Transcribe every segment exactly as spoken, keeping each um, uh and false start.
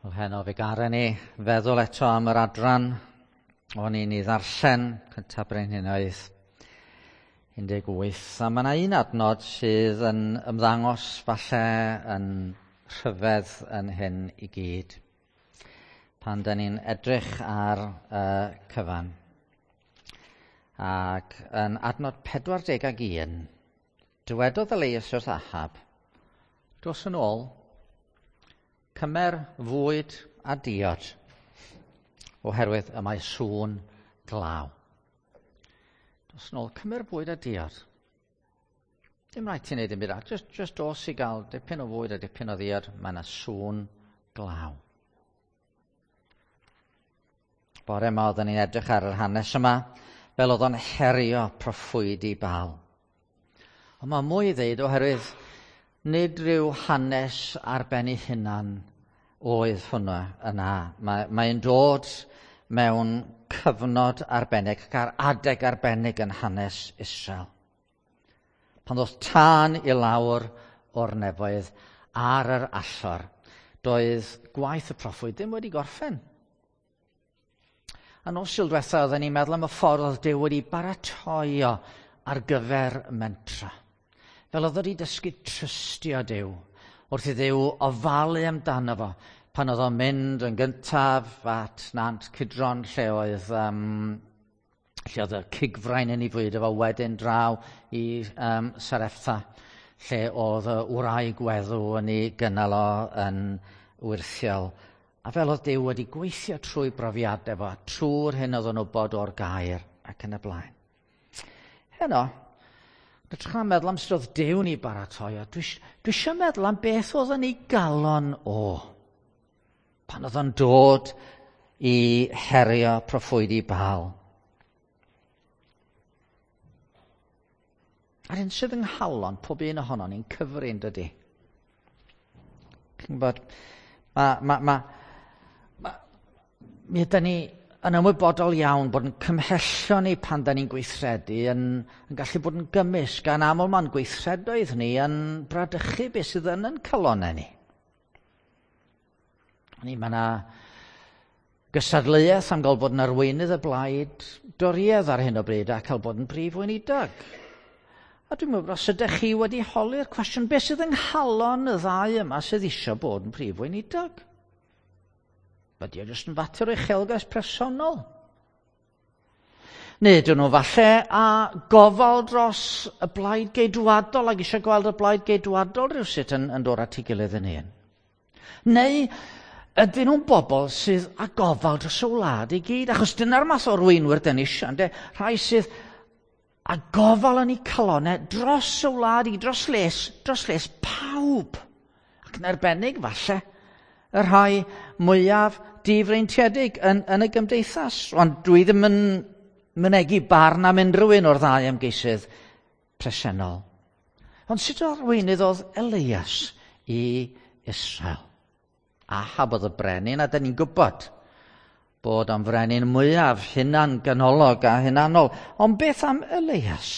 Wel, heno fe garen ni feddwl eto am yr adran o'n i'n ei ddarllen cyntaf Brenhinoedd un deg wyth. A mae yna un adnod sydd yn ymddangos falle yn rhyfedd yn hyn i gyd, pan da ni'n edrych ar y cyfan. Ac yn adnod pedwar deg ag un, dywedodd Elias wrth Ahab, "Dos yn ôl, cymer fwyd a diod, oherwydd y mae sŵn glaw." Dos yn ôl, cymer bwyd a diod. Dim rhaid ti wneud dim byd arall, just, just dos i gael dipyn o fwyd a dipyn o ddiod, mae yna sŵn glaw. Bore yma oedden ni'n edrych ar yr hanes yma, fel oedd o'n herio proffwydi Baal. Ond mae mwy i ddeud oherwydd nid rhyw hanes ar ben ei hunan oedd hwnna yna. Mae, mae'n dod mewn cyfnod arbennig ac ar adeg arbennig yn hanes Israel. Pan ddoth tân i lawr o'r nefoedd ar yr allor, doedd gwaith y proffwyd ddim wedi gorffen. A nos Sul diwetha oedden ni'n meddwl am y ffordd oedd Duw wedi baratoi o ar gyfer mentra. Fel oedd wedi dysgu trystio Duw, wrth i Dduw ofalu amdano fo, pan oedd o'n mynd yn gyntaf at Nant Cydron, lle oedd, um, lle oedd y cigfrain yn ei fwyd efo, wedyn draw i um, Sarepta, lle oedd y wraig weddw yn ei gynnal o yn wyrthiol. A fel oedd Duw wedi gweithio trwy brofiadau fo, trwy'r hyn oedd o'n wybod o'r gair ac yn y blaen. Heno, edrych am meddwl am sut oedd Duw'n ei baratoi, a dwi, dwi eisiau meddwl am beth oedd yn ei galon o. Pan oedd o'n dod i herio proffwydi Baal. A'r hyn sydd yng nghalon pob un ohonon ni'n cyfrin, dydy. Chi'n gwybod, mae, ma, ma, ma, mi ydyn ni yn ymwybodol iawn bod yn cymhellion ni pan da ni'n gweithredu yn, yn gallu bod yn gymysg, gan aml ma'n gweithredoedd ni yn bradychu beth sydd yn yn calonnau ni. Ni, mae yna gystadleuaeth am gael bod yn arweinydd y blaid Dorïaidd ar hyn o bryd a cael bod yn brif weinidog. A dwi'n meddwl, os ydych chi wedi holi'r cwestiwn, beth sydd yng nghalon y ddau yma sydd eisiau bod yn prif weinidog? Ydy o jyst yn fater o uchelgais personol? Neu ydyn nhw falle a gofal dros y blaid geidwadol ac eisiau gweld y blaid geidwadol rhywsut yn, yn dod at ei gilydd yn un? Neu ydyn nhw'n bobl sydd â gofal dros y wlad i gyd? Achos dyna'r math o arweinwyr dyn ni eisiau, ynde? Rhai sydd â gofal yn eu calonnau dros y wlad i, dros les, dros les pawb. Ac yn arbennig falle y rhai mwyaf difreintiedig yn, yn y gymdeithas. Ond dwi ddim yn mynegi barn am unrhyw un o'r ddau ymgeisydd presennol. Ond sut o arweinydd oedd Elias i Israel? Ahab oedd y brenin, a dyn ni'n gwybod bod o'n frenin mwyaf hunan ganolog a hunanol. Ond beth am Elias?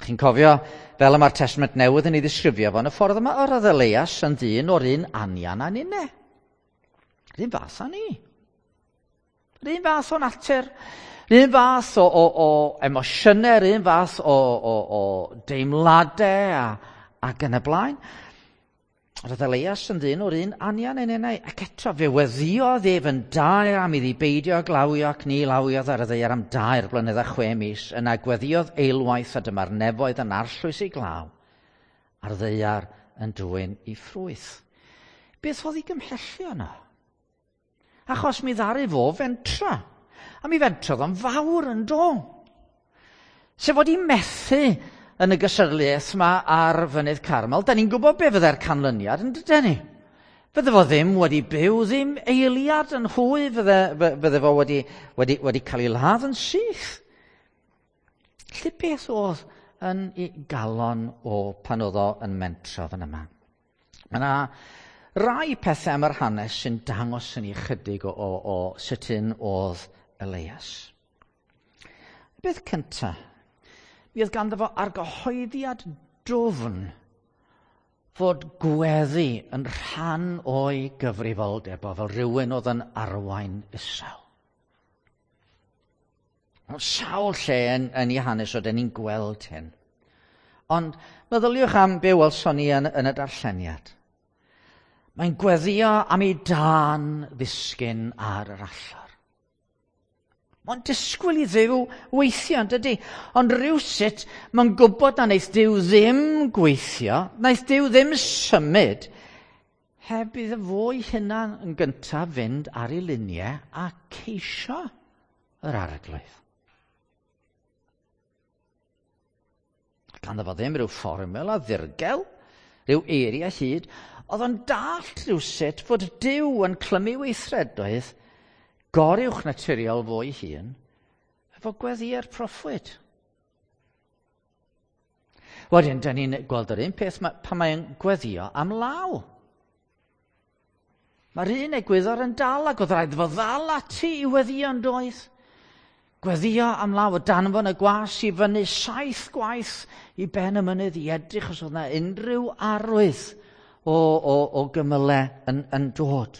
Chi'n cofio, fel y mae'r Testament Newydd yn ei ddisgrifio fo, yn y ffordd yma, yr oedd Elias yn ddyn o'r un anian a ninne. Yr un fath â ni. Yr un fath o natur, yr un fath o, o, o emosiynau, yr un fath o, o, o deimladau a, ac yn y blaen. Roedd Elias yn ddyn o'r un anian yn enau, ac eto fe weddïodd ef yn daer am iddi beidio glawio ac ni lawiodd ar y ddaear am dair blynedd a chwe mis. Yna gweddïodd eilwaith a dyma'r nefoedd yn arllwys ei glaw, a'r ddaear yn dwyn ei ffrwyth. Beth oedd ei gymhellu yno? Achos mi ddaru fo fentra, a mi fentrodd o'n fawr yn do. Sef fod i methu yn y gystadleuaeth yma ar Fynydd Carmel, da ni'n gwybod be fyddai'r canlyniad, yn dydyn ni? Fydde fo ddim wedi byw ddim eiliad yn hwy, fydde, fydde fo wedi, wedi, wedi cael ei ladd yn syth. Lle beth oedd yn ei galon o pan oedd o yn mentro fan yma? Mae yna rai pethau am yr hanes sy'n dangos yn ei chydig o, o, o sut un oedd Elias. Beth cyntaf? Mi oedd ganddo fo argyhoeddiad dwfn fod gweddi yn rhan o'i gyfrifoldeb o fel rhywun oedd yn arwain Israel. Ond sawl lle yn, yn ei hanes oedden ni'n gweld hyn. Ond meddyliwch am be welson ni yn, yn y darlleniad. Mae'n gweddio am ei dân ddisgyn ar yr allor. Mae'n disgwyl i Dduw weithio, yn dydy? Ond rhywsut, mae'n gwybod na wneith Duw ddim gweithio, wnaeth Duw ddim symud, heb iddo fo'i hunan yn gyntaf fynd ar ei liniau a ceisio yr Arglwydd. Ganddo fo ddim rhyw fformula ddirgel, rhyw eiriau hyd, oedd o'n dallt rhywsut fod Duw yn clymu weithredoedd goruwch naturiol fo'i hun, efo gweddiau'r proffwyd. Wedyn, da ni'n gweld yr un peth pan mae'n gweddio am law. Mae'r un egwyddor yn dal ac oedd rhaid fo ddal ati i weddio yn doedd. Gweddio am law, o danfon y gwas i fyny saith gwaith i ben y mynydd i edrych os oedd yna unrhyw arwydd o, o, o gymylau yn, yn dod.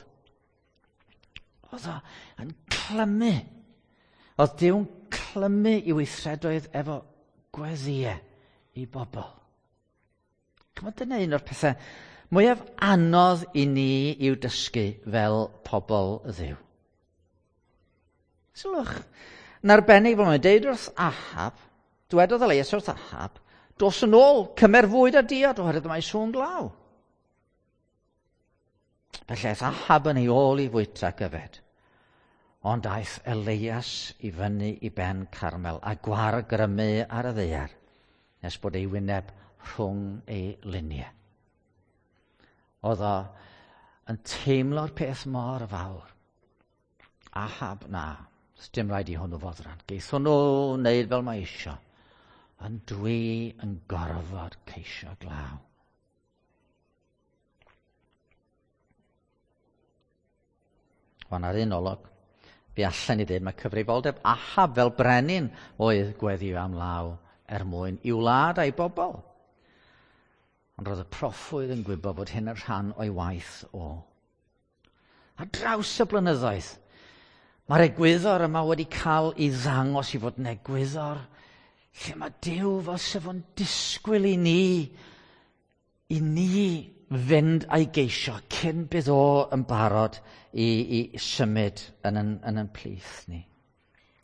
Oedd o yn clymu. Oedd Duw'n clymu i weithredoedd efo gweddiau i bobl. Chymod, dyna un o'r pethau mwyaf anodd i ni i'w dysgu fel pobl Dduw. Sylwch, yn arbennig fel mae'n deud wrth Ahab, dwedodd Elias wrth Ahab, dos yn ôl, cymer fwyd a diod oherwydd mae sŵn glaw. Felly aeth Ahab yn ei ôl i fwyta ac yfed. Ond aeth Elias i fyny i ben Carmel a gwargrymu ar y ddaear, nes bod ei wyneb rhwng ei luniau. Oedd o yn teimlo'r peth mor fawr. Ahab, na, dim rhaid i hwnnw fodran. Geith hwnnw wneud fel mae isio. Ond dwi yn gorfod ceisio glaw. Wan ar un olwg, fe allan ni ddweud mae cyfrifoldeb Ahab fel brenin oedd gweddio am law er mwyn i'w wlad a'i bobl. Ond roedd y proffwyd yn gwybod bod hyn yn rhan o'i waith o. A draws y blynyddoedd, mae'r egwyddor yma wedi cael ei ddangos i fod yn egwyddor lle mae Duw fel sef o'n disgwyl i ni, i ni fynd a'i geisio cyn bydd o yn barod i, i symud yn yn, yn, yn plith ni.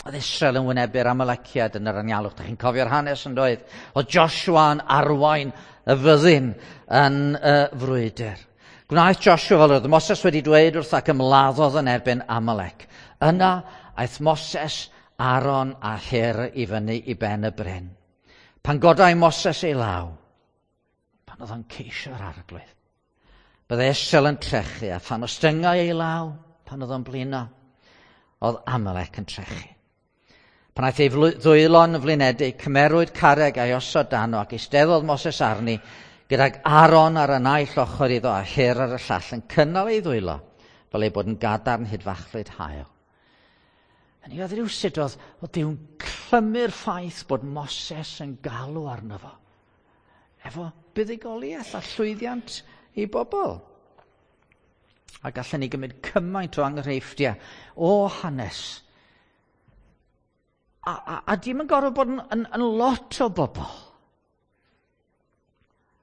Oedd Israel yn wynebu'r Amaleciad yn yr anialwch. Dach chi'n cofio'r hanes yn doedd? Oedd Joshua yn arwain y fyddin yn y frwydr. Gwnaeth Joshua fel oedd Moses wedi dweud wrth ac ymladdodd yn erbyn Amalec. Yna aeth Moses, Aaron a Hur i fyny i ben y bryn. Pan godai Moses ei law, pan oedd o'n ceisio'r Arglwydd, byddai Israel yn trechu, a phan ostyngai ei law, pan oedd o'n blino, oedd Amalec yn trechu. Pan aeth ei ddwylo'n flinedig, cymerwyd carreg a'i osod dano ac eisteddodd Moses arni, gydag Aaron ar y naill ochr iddo a Hur ar y llall yn cynnal ei ddwylo, fel ei bod yn gadarn hyd fachlud haul. Hynny oedd rhywsut oedd, oedd Duw'n clymu'r ffaith bod Moses yn galw arno fo, efo buddugoliaeth a llwyddiant i bobl. A gallen ni gymryd cymaint o enghreifftiau o hanes. A, a, a dim yn gorfod bod yn, yn, yn lot o bobl.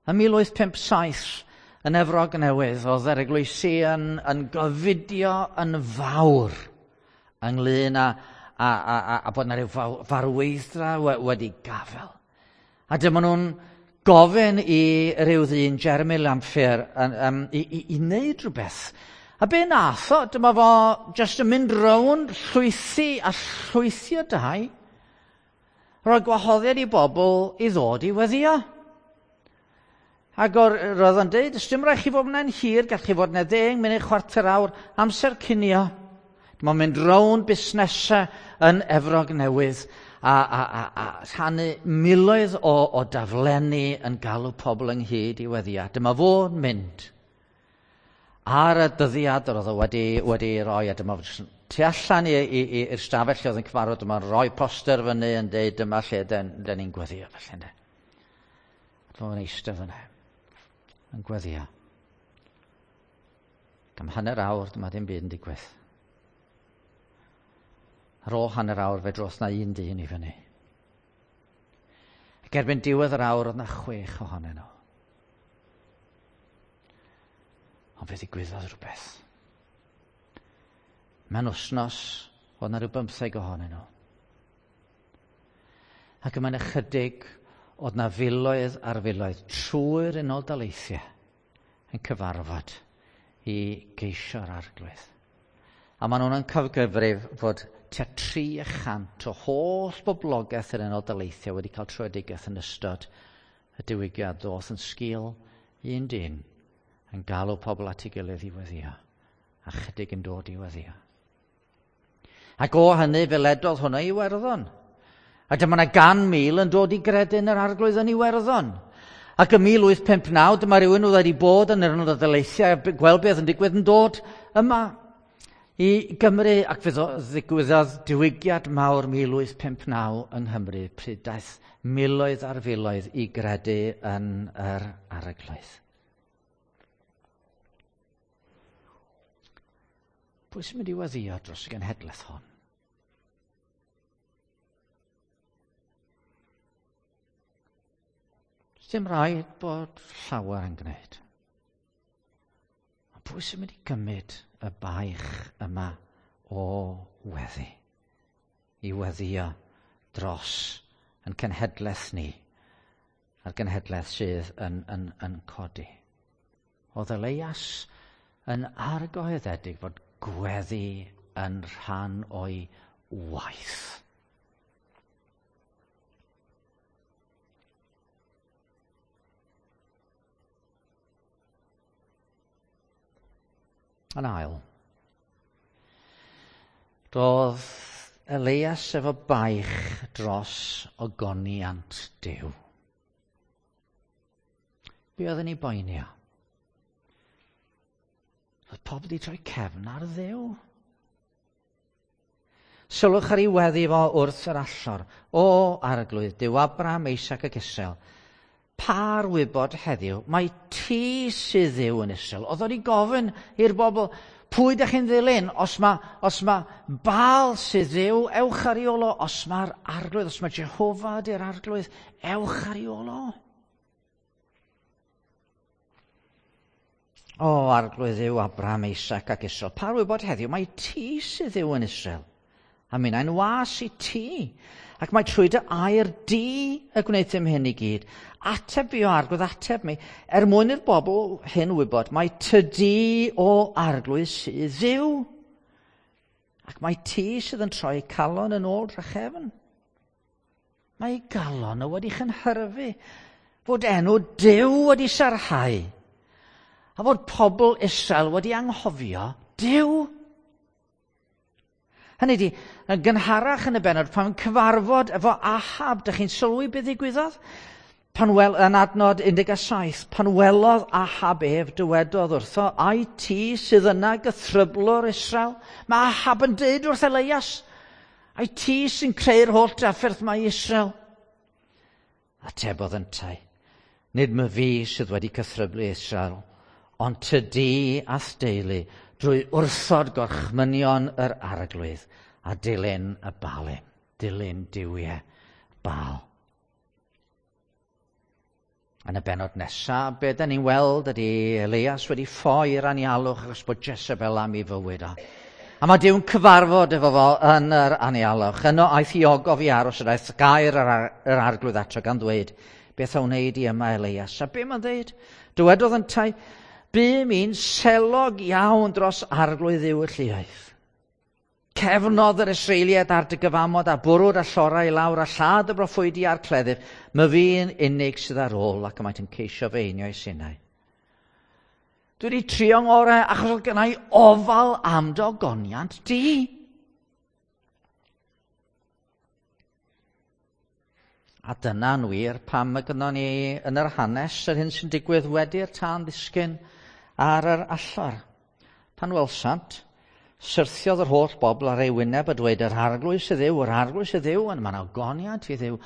Ym mil wyth pump saith yn Efrog Newydd, oedd yr eglwysi yn, yn gofidio yn fawr ynglyn â, a, a, a, a bod yna rhyw farweiddra wedi gafel. A dyma nhw'n gofyn i ryw ddyn, Jeremy Lampier, um, i, i, i wneud rhywbeth. A be nath o, dyma fo jyst yn mynd rownd llwythi a llwythi o dai, rhoi gwahoddiad i bobl i ddod i weddio. Ac o'r, roedd o'n deud, dim rhaid chi fod yna'n hir, gall chi fod yna ddeng munud, chwarter awr, amser cinio. Dyma mynd rownd busnesau yn Efrog Newydd a, a, a, a rhannu miloedd o, o daflenni yn galw pobl ynghyd i weddio. Dyma fo'n mynd ar y dyddiad yr oedd o wedi, wedi roi, a dyma tu allan i'r stafell lle oedd yn cyfarfod, dyma'n rhoi poster fyny yn deud dyma lle den, den ni'n gweddio. Felly, ynde. Dyma fo'n eistedd yna. yn gweddio. Ac am hanner awr, dyma dim byd yn digwydd. Ar ôl hanner awr, fe dros na un dyn i fyny. Ac erbyn diwedd yr awr, oedd na chwech ohonyn nhw. Ond fe ddigwyddodd rhywbeth. Mewn wythnos, oedd na rhyw bymtheg ohonyn nhw. Ac yma'n ychydig, oedd na filoedd ar filoedd trwy'r Unol Daleithiau yn cyfarfod i geisio'r Arglwydd. A maen nhw'n cyfgyfrif fod tua tri chant o holl boblogaeth yr Unol Daleithiau wedi cael tröedigaeth yn ystod y diwygiad ddoth yn sgil un dyn yn galw pobl at ei gilydd i weddio, a chydig yn dod i weddio. Ac o hynny fe ledodd hwnna i Iwerddon. A dyma yna gan mil yn dod i gredu yn yr Arglwydd yn Iwerddon. Ac ym mil wyth pump naw, dyma rhywun oedd wedi bod yn yr Unol Daleithiau a gweld beth yn digwydd yn dod yma i Gymru, ac fe ddigwyddodd diwygiad mawr mil wyth pump naw yng Nghymru, pryd daeth miloedd ar filoedd i gredu yn yr Arglwydd. Pwy sy'n mynd i weddio dros y genhedlaeth hon? Dim rhaid bod llawer yn gwneud. Ond pwy sy'n mynd i gymryd y baich yma o weddi? I weddio dros yn cenhedlaeth ni, a'r genhedlaeth sydd yn, yn, yn codi. Oedd Elias yn argyhoeddedig fod gweddi yn rhan o'i waith. Yn ail, doedd Elias efo baich dros ogoniant Duw. Be oedd yn ei boeni o? Oedd pobl wedi troi cefn ar Dduw. Sylwch ar ei weddi fo wrth yr allor. O Arglwydd, Duw Abraham, Isaac ac Israel, pa'r wybod heddiw, mae ti sydd Dduw yn Israel. Oedd o'n i gofyn i'r bobl, pwy ydych chi'n ddilyn? Os mae, os mae Baal sydd Dduw, ewch ar ei ôl o. Os mae'r Arglwydd, os mae Jehofa ydy'r Arglwydd, ewch ar ei ôl o. O, Arglwydd Dduw Abraham, Isaac ac Israel, pa'r wybod heddiw, mae ti sydd Dduw yn Israel. A minnau'n was i ti. Ac mae trwy dy air di y gwneud hyn i gyd. Ateb fi o Arglwydd, ateb mi. Er mwyn i'r bobl hyn wybod, mae tydi o Arglwydd sydd Dduw. Ac mae ti sydd yn troi calon yn ôl drachefn. Mae galon o wedi chynhyrfu fod enw Duw wedi sarhau. A fod pobl Israel wedi anghofio Duw. Hynny ydi, yn gynharach yn y bennod, pan cyfarfod efo Ahab, dych chi'n sylwi beth ddigwyddodd? Pan wel, yn adnod un deg saith, pan welodd Ahab ef, dywedodd wrtho, ai ti sydd yna gythryblwr Israel? Mae Ahab yn dweud wrth Elias, ai ti sy'n creu'r holl drafferth mae Israel? Atebodd yntau, nid my fi sydd wedi cythryblu Israel, ond tydi a'th deulu, drwy wrthod gorchmynion yr Arglwydd a dilyn y Baalim, dilyn duwiau Baal. Yn y bennod nesaf, be da ni'n weld ydy Elias wedi ffoi i'r anialwch achos bod Jezebel am ei fywyd o. A mae Duw'n cyfarfod efo fo yn yr anialwch. Yno aeth i ogof i aros, yr aeth gair yr, ar, yr Arglwydd ato gan ddweud, beth a wneud i yma Elias? A be mae'n dweud? Dywedodd yntau, bûm i'n selog iawn dros Arglwydd Dduw y lluoedd. Cefnodd yr Israeliaid ar dy gyfamod a bwrw'r allorau i lawr a lladd y broffwydi a'r cleddyf. My fi'n unig sydd ar ôl ac y maent yn ceisio fy einioes innau. Dwi wedi trio ngorau achos oedd gennau ofal am dy ogoniant di. A dyna'n wir pam y gynnon ni yn yr hanes yr hyn sy'n digwydd wedi'r tân ddisgyn ar yr allor. Pan welsant, syrthiodd yr holl bobl ar ei wyneb a dweud, yr Arglwydd sydd Dduw, yr Arglwydd sydd Dduw, ond mae'n ogoniant i Dduw.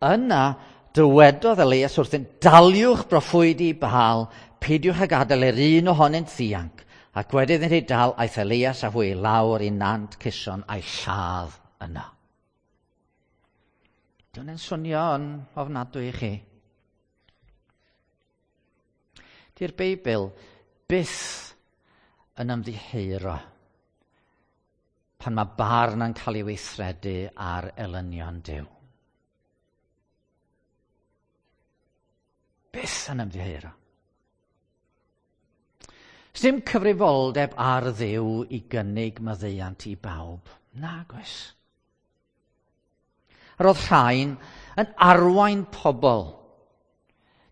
Yna dywedodd Elias wrthyn, daliwch broffwydi Baal, Peidiwch â gadael yr un ohonynt ddianc. Ac wedi iddynt ei dal, aeth Elias â hwy lawr i nant Cison a'i lladd yno. Di hwnna'n swnio yn ofnadwy i chi? Di'r Beibl byth yn ymddiheuro pan mae barn yn cael ei weithredu ar elynion Duw. Byth yn ymddiheuro. Sdim cyfrifoldeb ar Dduw i gynnig maddeuant i bawb. Nag oes. Yr oedd rhain yn arwain pobl.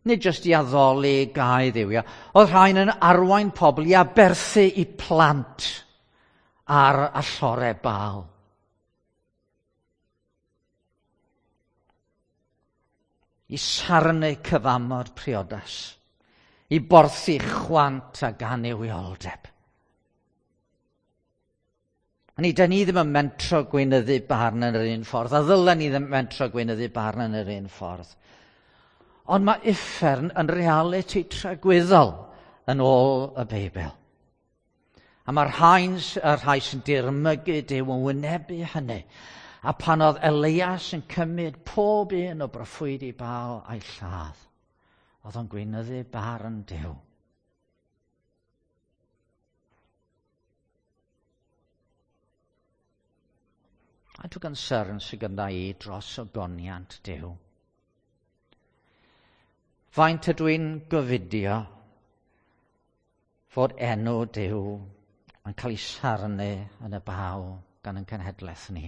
Nid jyst i addoli gau dduwiau. Oedd rhain yn arwain pobl i aberthu i plant ar allore Baal. I sarnu cyfamod priodas. I borthu chwant a ganuwioldeb. A ni, da ni ddim yn mentro gweinyddu barn yn yr un ffordd, a ddylen ni ddim mentro gweinyddu barn yn yr un ffordd. Ond mae uffern yn realiti tragwyddol yn ôl y Beibl. A mae'r rhain, y rhai sy'n dirmygu Duw yn wynebu hynny. A pan oedd Elias yn cymryd pob un o broffwydi Baal a'i lladd, oedd o'n gweinyddu barn Duw. A dwi'n concern sydd gyda i dros ogoniant Duw. Faint ydw i'n gofidio fod enw Duw yn cael ei sarnu yn y baw gan ein cenhedlaeth ni.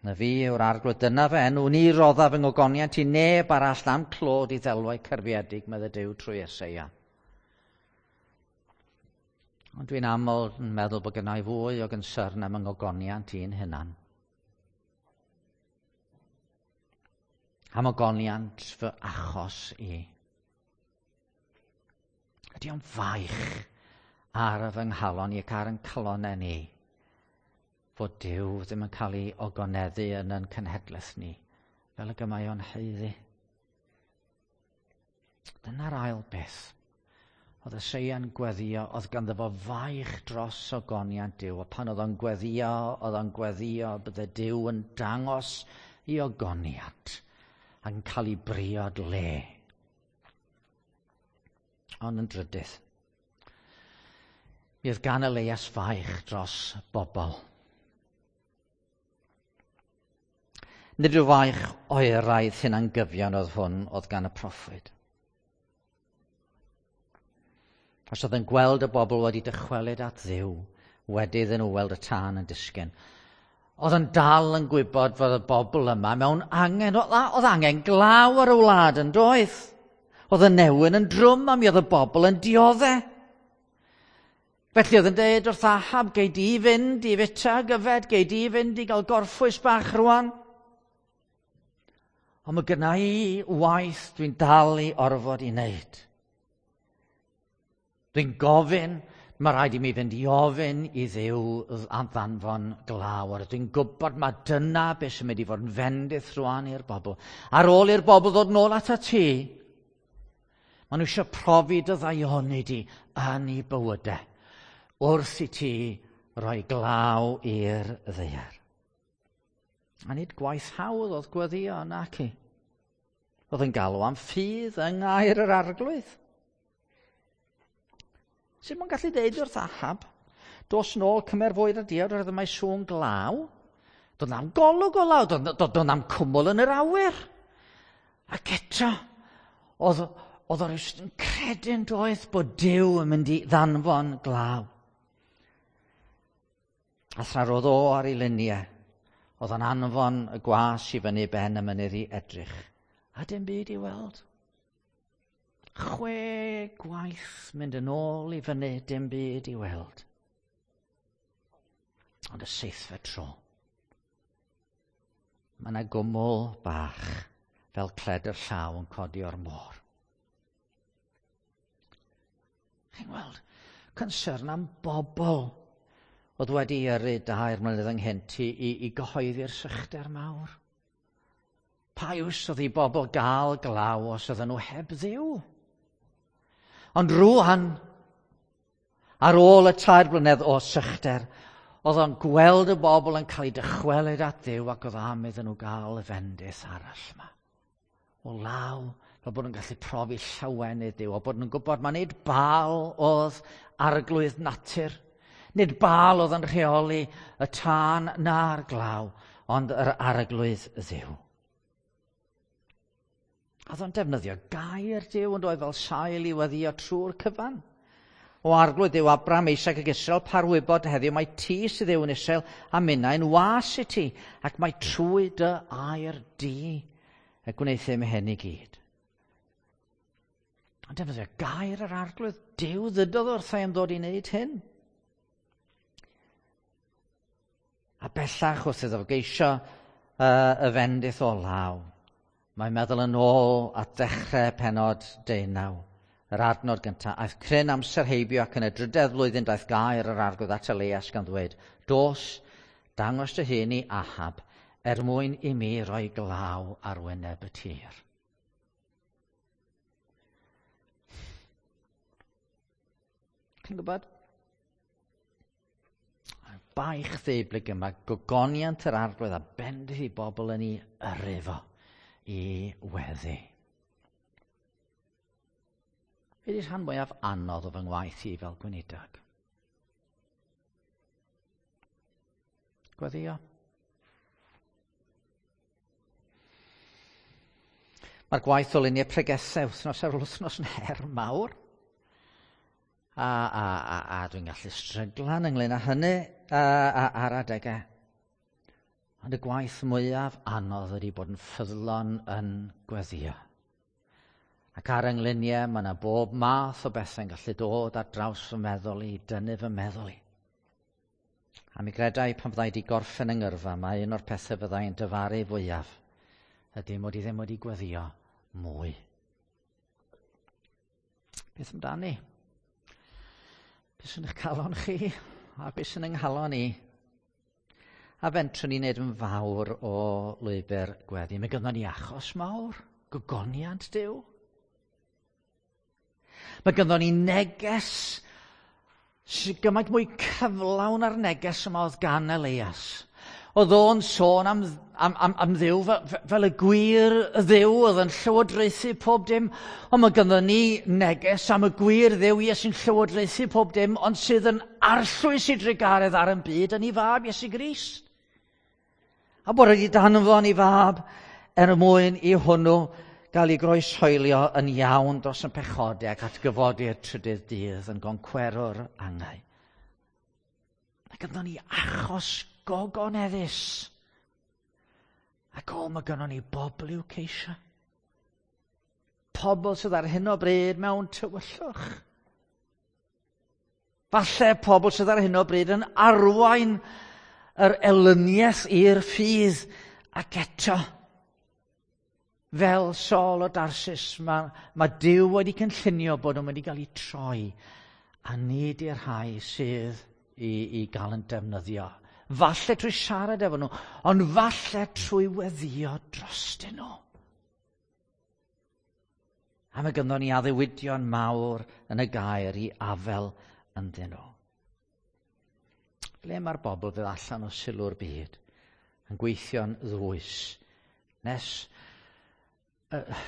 Na fi yw'r arglwydd, dyna fy enw, ni roddaf fy ngogoniant i neb arall am clod i ddelwau cerfiedig, medde Duw trwy Eseia. Ond dwi'n aml yn meddwl bod gennai fwy o gynsyrn am yng ngogoniant i'n hunan. Am ogoniant fy achos i. Ydy o'n faich ar fy nghalon i ac ar yn calonau ni fod Duw ddim yn cael ei ogoneddu yn yn cenhedlaeth ni, fel y mae o'n haeddu. Dyna'r ail beth. Oedd Eseia'n gweddio, oedd ganddo fo faich dros ogoniant Duw, a pan oedd o'n gweddio, oedd o'n gweddio, bydde Duw yn dangos i ogoniant ac yn cael ei briod le. Ond yn drydydd, mi oedd gan Elias faich dros bobl. Nid yw faich oeraidd hunangyfiawn oedd hwn oedd gan y proffwyd. Os oedd yn gweld y bobl wedi dychwelyd at Dduw, wedi iddyn nhw weld y tân yn disgyn, oedd yn dal yn gwybod fod y bobl yma mewn angen, oedd angen glaw ar y wlad yn doedd. Oedd y newyn yn drwm a mi oedd y bobl yn dioddef. Felly oedd yn dweud wrth Ahab, gei di fynd i fita gyfed, gei di fynd i gael gorffwys bach rwan. Ond mae gynna i waith dwi'n dal i orfod i wneud. Dwi'n gofyn, mae rhaid i mi fynd i ofyn i Dduw am ddanfon glaw. Dwi'n gwybod mae dyna beth sy'n mynd i fod yn fendith rwan i'r bobl. Ar ôl i'r bobl ddod nôl atat ti, maen nhw eisiau profi dy ddaioni di yn eu bywydau wrth i ti roi glaw i'r ddaear. A nid gwaith hawdd oedd gweddio naci. Oedd yn galw am ffydd yng ngair yr arglwydd. Sut mae'n gallu deud wrth Ahab, dos nôl cymer fwyd a diod oherwydd mae sŵn glaw. Doedd na'm golwg o law, doedd, doedd na'm cwmwl yn yr awyr. Ac eto, oedd, oedd o rywsut yn credu'n doedd bod Duw yn mynd i ddanfon glaw. A thra roedd o ar ei luniau, oedd o'n anfon y gwas i fyny ben y mynydd i edrych. A dim byd i weld. Chwe gwaith mynd yn ôl i fyny, dim byd i weld. Ond y seithfed tro, mae yna gwmwl bach fel cledr llaw yn codi o'r môr. Chi'n gweld, concern am bobl oedd wedi yrru dair mlynedd ynghynt i, i, i gyhoeddi'r sychder mawr. Pa iws oedd i bobl gael glaw os oedden nhw heb Dduw? Ond rŵan, ar ôl y tair blynedd o sychder, oedd o'n gweld y bobl yn cael eu dychwelyd at Dduw ac oedd am iddyn nhw gael y fendith arall yma. O law, fel bod nhw'n gallu profi llawenydd Duw, o bod nhw'n gwybod mai nid Baal oedd arglwydd natur, nid Baal oedd yn rheoli y tân na'r glaw, ond yr arglwydd Dduw. A oedd o'n defnyddio gair Duw yn dod fel sail i weddio trwy'r cyfan. O Arglwydd Dduw Abraham, Isaac ac Israel, par wybod heddiw mai ti sydd Dduw yn Israel a minnau'n was i ti, ac mai trwy dy air di y gwneuthum hyn i gyd. Ond defnyddio gair yr Arglwydd, Duw ddydodd wrtha i am ddod i wneud hyn. A bellach wrth iddo geisio uh, y fendith o law, mae'n meddwl yn ôl at ddechrau pennod deunaw. Yr adnod gyntaf, aeth cryn amser heibio ac yn y drydedd flwyddyn daeth gair yr Arglwydd at Elias gan ddweud, dos, dangos dy hun i Ahab, er mwyn i mi roi glaw ar wyneb y tir. Chi'n gwybod? Baich ddeublyg yma, gogoniant yr Arglwydd a bendith i bobl yn ei yrru fo i weddi. Be 'di'r rhan mwyaf anodd o fy ngwaith i fel gweinidog? Gweddio. Mae'r gwaith o lunio pregethau wythnos ar ôl wythnos yn her mawr. A, a, a, a dwi'n gallu stryglan ynglyn â hynny a, a, ar adegau. Ond y gwaith mwyaf anodd ydy bod yn ffyddlon yn gweddio. Ac ar yngluniau, mae yna bob math o bethau'n gallu dod ar draws fy meddwl i, dynnu fy meddwl i. A mi gredai pan fyddai wedi gorffen yng ngyrfa, mae un o'r pethau fyddai'n dyfaru fwyaf ydy mod i ddim wedi gweddio mwy. Beth amdani? Beth sy'n eich calon chi? A beth sy'n yng nghalon i? A fentrwn ni wneud yn fawr o lwybr gweddi. Mae gynnon ni achos mawr, gogoniant Duw. Mae gynnon ni neges sy'n gymaint mwy cyflawn ar neges yma oedd gan Elias. Oedd o'n sôn am, am, am, am Dduw fel, fel y gwir Dduw oedd yn llywodraethu pob dim. Ond mae gynnon ni neges am y gwir Dduw, ie, sy'n llywodraethu pob dim, ond sydd yn arllwys i drugaredd ar yn byd yn ei fab Iesu Grist. A bod wedi danfon ei fab er mwyn i hwnnw gael ei groeshoelio yn iawn dros yn pechodau ac atgyfodi'r trydydd dydd yn goncwerwr angau. Mae gynnon ni achos gogoneddus. Ac o, mae gynnon ni bobl i'w ceisio. Pobl sydd ar hyn o bryd mewn tywyllwch. Falle pobl sydd ar hyn o bryd yn arwain yr elyniaeth i'r ffydd ac eto. Fel Saul o Darsis, mae, mae Duw wedi cynllunio bod nhw'n mynd i gael eu troi a nid i'r rhai sydd i, i gael yn defnyddio. Falle trwy siarad efo nhw, ond falle trwy weddio drostyn nhw. A mae gynnon ni addewidion mawr yn y gair i afel ynddyn nhw. Ble mae'r bobl fydd allan o sylw'r byd yn gweithio'n ddwys nes uh,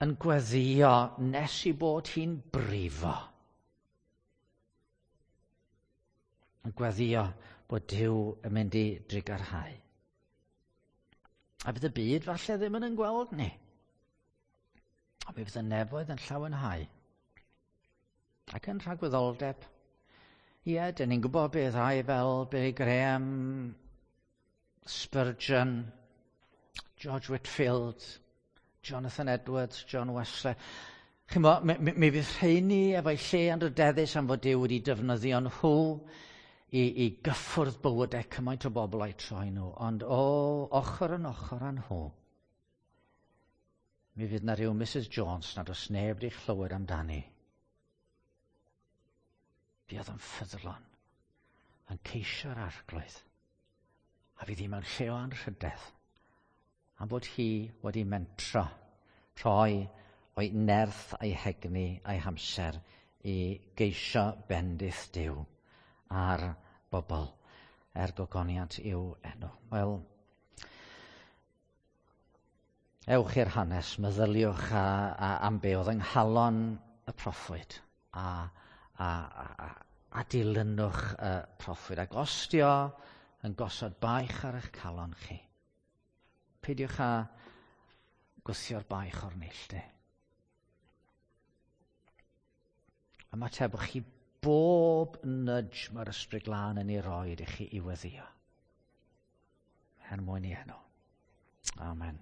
yn gweddio nes i bod hi'n brifo. Yn gweddio bod Duw yn mynd i drugarhau. A fydd y byd falle ddim yn yn gweld ni. A mi fydd y nefoedd yn llawenhau. Ac yn rhagwyddoldeb. Ie, dyn ni'n gwybod beth rhai fel Billy Graham, Spurgeon, George Whitefield, Jonathan Edwards, John Wesley. Chi'n bo, mi, mi, mi fydd rheini efo'i lle anrhydeddus am fod Duw wedi defnyddio nhw i, i gyffwrdd bywydau cymaint o bobl a'u troi nhw. Ond o, ochr yn ochr â nhw, mi fydd na rhyw Missus Jones nad oes neb wedi chlywed amdani. Fuodd yn ffyddlon, yn ceisio'r Arglwydd, a fydd hi mewn lle o anrhydedd Am bod hi wedi mentro rhoi o'i nerth a'i hegni a'i hamser i geisio bendith Duw ar bobl er gogoniant i'w enw. Wel, ewch i'r hanes, meddyliwch a, a, am be oedd yng nghalon y proffwyd a, a, a, a, a dilynwch y proffwyd. Ac os dio yn gosod baich ar eich calon chi, peidiwch â gwthio'r baich o'r neilltu. Ymatebwch chi bob nudge mae'r Ysbryd Glân yn ei roed i chi i weddïo. Er mwyn i enw. Amen.